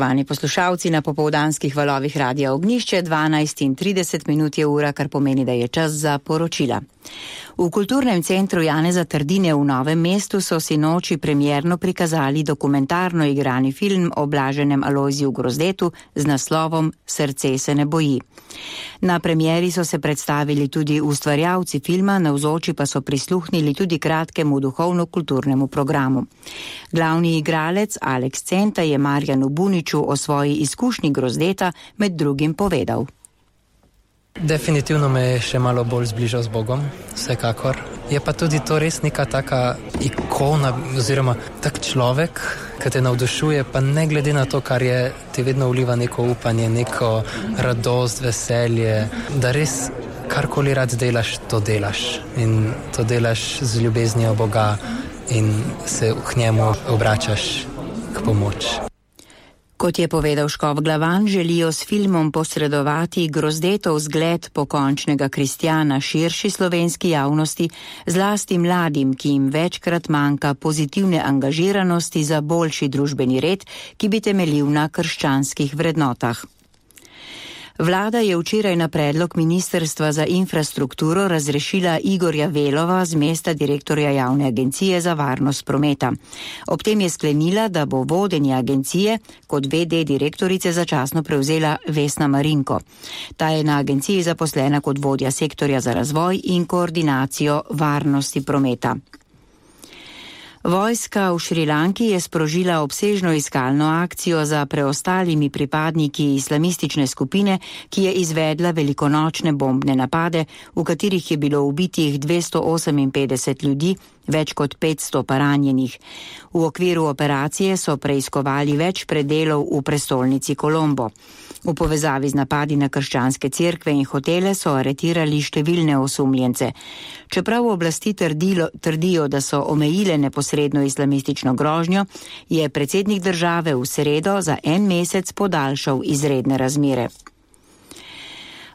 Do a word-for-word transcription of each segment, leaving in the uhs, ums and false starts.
Vani poslušalci na popoldanskih valovih Radia Ognjišče, dvanajst in trideset minut je ura, kar pomeni, da je čas za poročila. V Kulturnem centru Janeza Trdine v Novem mestu so sinoči premierno prikazali dokumentarno igrani film o blaženem Alojziju Grozdetu z naslovom Srce se ne boji. Na premieri so se predstavili tudi ustvarjalci filma, navzoči pa so prisluhnili tudi kratkemu duhovno-kulturnemu programu. Glavni igralec Aleks Centa je Marjanu Buniču o svoji izkušnji Grozdeta med drugim povedal. Definitivno me je še malo bolj zbližal z Bogom, vsekakor. Je pa tudi to res neka taka ikona oziroma tak človek, ki te navdušuje, pa ne glede na to, kar je, ti vedno vliva neko upanje, neko radost, veselje, da res karkoli rad delaš, to delaš. In to delaš z ljubeznijo Boga in se k njemu obračaš k pomoč. Kot je povedal Škof Glavan, želijo s filmom posredovati Grozdetov zgled pokončnega kristjana širši slovenski javnosti, zlasti mladim, ki jim večkrat manjka pozitivne angažiranosti za boljši družbeni red, ki bi temeljil na krščanskih vrednotah. Vlada je včeraj na predlog Ministrstva za infrastrukturo razrešila Igorja Velova z mesta direktorja Javne agencije za varnost prometa. Ob tem je sklenila, da bo vodenje agencije kot ve de direktorice začasno prevzela Vesna Marinko. Ta je na agenciji zaposlena kot vodja sektorja za razvoj in koordinacijo varnosti prometa. Vojska v Šrilanki je sprožila obsežno iskalno akcijo za preostalimi pripadniki islamistične skupine, ki je izvedla velikonočne bombne napade, v katerih je bilo ubitih dvesto oseminpetdeset ljudi, več kot petsto pa ranjenih. V okviru operacije so preiskovali več predelov v prestolnici Kolombo. V povezavi z napadi na krščanske cerkve in hotele so aretirali številne osumljence. Čeprav oblasti trdilo, trdijo, da so omejile neposredno islamistično grožnjo, je predsednik države v sredo za en mesec podaljšal izredne razmere.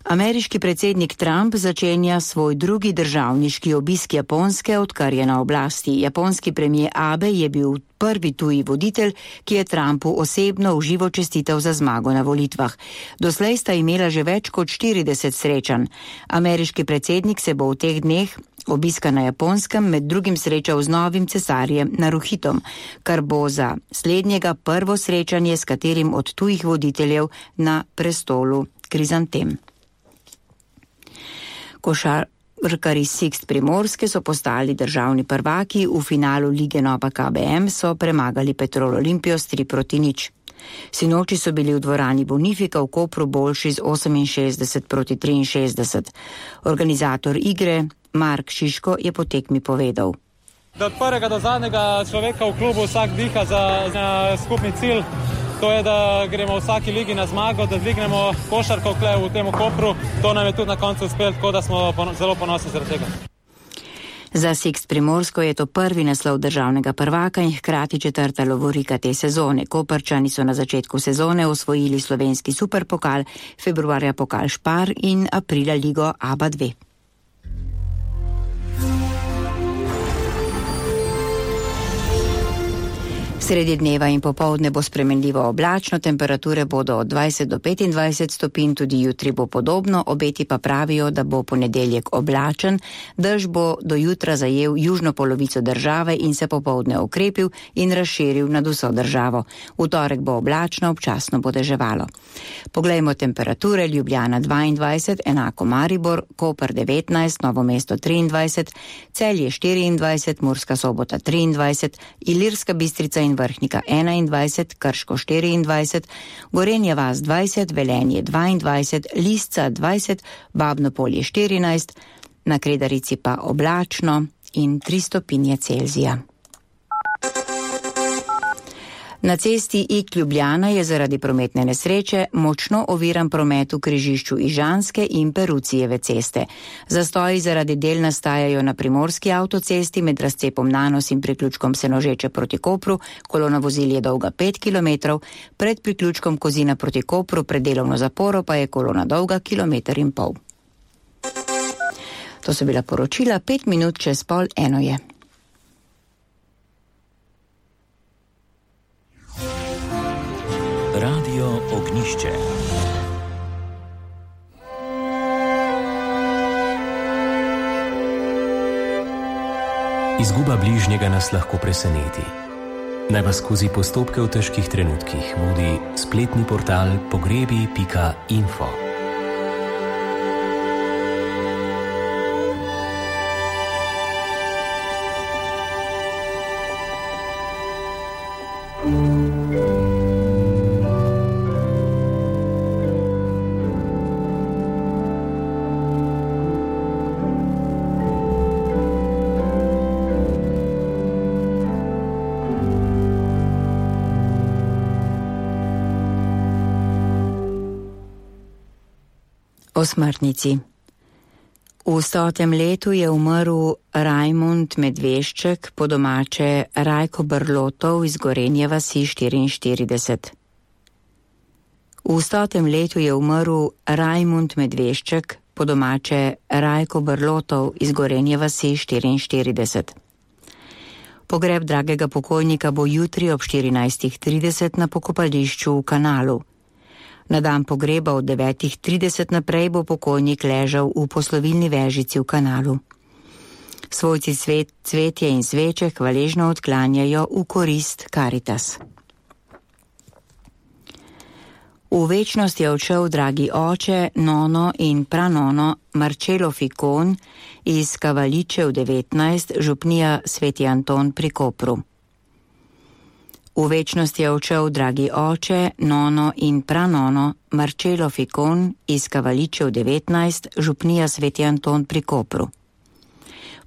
Ameriški predsednik Trump začenja svoj drugi državniški obisk Japonske, odkar je na oblasti. Japonski premijer Abe je bil prvi tuji voditelj, ki je Trumpu osebno v živo čestital za zmago na volitvah. Doslej sta imela že več kot štirideset srečanj. Ameriški predsednik se bo v teh dneh obiska na Japonskem med drugim srečal z novim cesarjem Naruhitom, kar bo za slednjega prvo srečanje s katerim od tujih voditeljev na prestolu Krizantem. Košarkarji Sixt Primorske so postali državni prvaki, v finalu lige Nova K B M so premagali Petrol Olimpijo s tri proti nič. Sinoči so bili v dvorani Bonifika v Kopru boljši z oseminšestdeset proti triinšestdeset. Organizator igre Mark Šiško je po tekmi povedal. Da od prvega do zadnjega človeka v klubu vsak diha za, za skupni cilj. To je, da gremo v vsaki ligi na zmago, da dvignemo košarko v tem Kopru. To nam je tudi na koncu uspelo, tako da smo zelo ponosni zaradi tega. Za Sixt Primorsko je to prvi naslov državnega prvaka in hkrati četrta lovorika te sezone. Koprčani so na začetku sezone osvojili slovenski superpokal, februarja pokal Špar in aprila ligo A B A dva. Sredi dneva in popoldne bo spremenljivo oblačno, temperature bodo od dvajset do petindvajset stopinj, tudi jutri bo podobno, obeti pa pravijo, da bo ponedeljek oblačen, dež bo do jutra zajel južno polovico države in se popoldne okrepil in razširil nad vso državo. V torek bo oblačno, občasno bo deževalo. Poglejmo temperature: Ljubljana dvaindvajset, enako Maribor, Koper devetnajst, Novo mesto triindvajset, Celje štiriindvajset, Murska Sobota triindvajset, Ilirska Bistrica in Vrhnika enaindvajset, Krško štiriindvajset, Gorenja vas dvajset, Velenje dvaindvajset, Lisca dvajset, Babno Polje štirinajst, na Kredarici pa oblačno in tri stopinje Celzija. Na cesti Ig Ljubljana je zaradi prometne nesreče močno oviran promet v križišču Ižanske in Perucijeve ceste. Zastoji zaradi del nastajajo na primorski avtocesti med razcepom Nanos in priključkom Senožeče proti Kopru. Kolona vozil je dolga pet kilometrov, pred priključkom Kozina proti Kopru pred delovno zaporo pa je kolona dolga kilometer in pol. To so bila poročila, pet minut čez pol eno je. Radio Ognišče. Izguba bližnjega nas lahko preseneti. Naj vas skozi postopke v težkih trenutkih vodi spletni portal pogrebi pika info. O smrtnici. V stotem letu je umrl Rajmund Medvešček, po domače Rajko Brlotov iz Gorenje vasi štiriinštirideset. V stotem letu je umrl Rajmund Medvešček, po domače Rajko Brlotov iz Gorenje vasi štiriinštirideset. Pogreb dragega pokojnika bo jutri ob štirinajstih trideset na pokopališču v Kanalu. Na dan pogreba od devetih trideset naprej bo pokojnik ležal v poslovilni vežici v Kanalu. Svojci cvet, cvetje in sveče hvaležno odklanjajo v korist Karitas. V večnost je odšel dragi oče, nono in pranono Marcello Ficon iz Kavaličev devetnajst, župnija Sveti Anton pri Kopru. V večnost je odšel dragi oče, nono in pranono Marcello Ficon iz Kavaličev devetnajst, župnija Sveti Anton pri Kopru.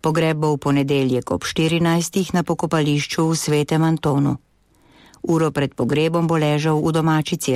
Pogreb bo v ponedeljek ob štirinajstih na pokopališču v Svetem Antonu. Uro pred pogrebom bo ležal v domači cerkvi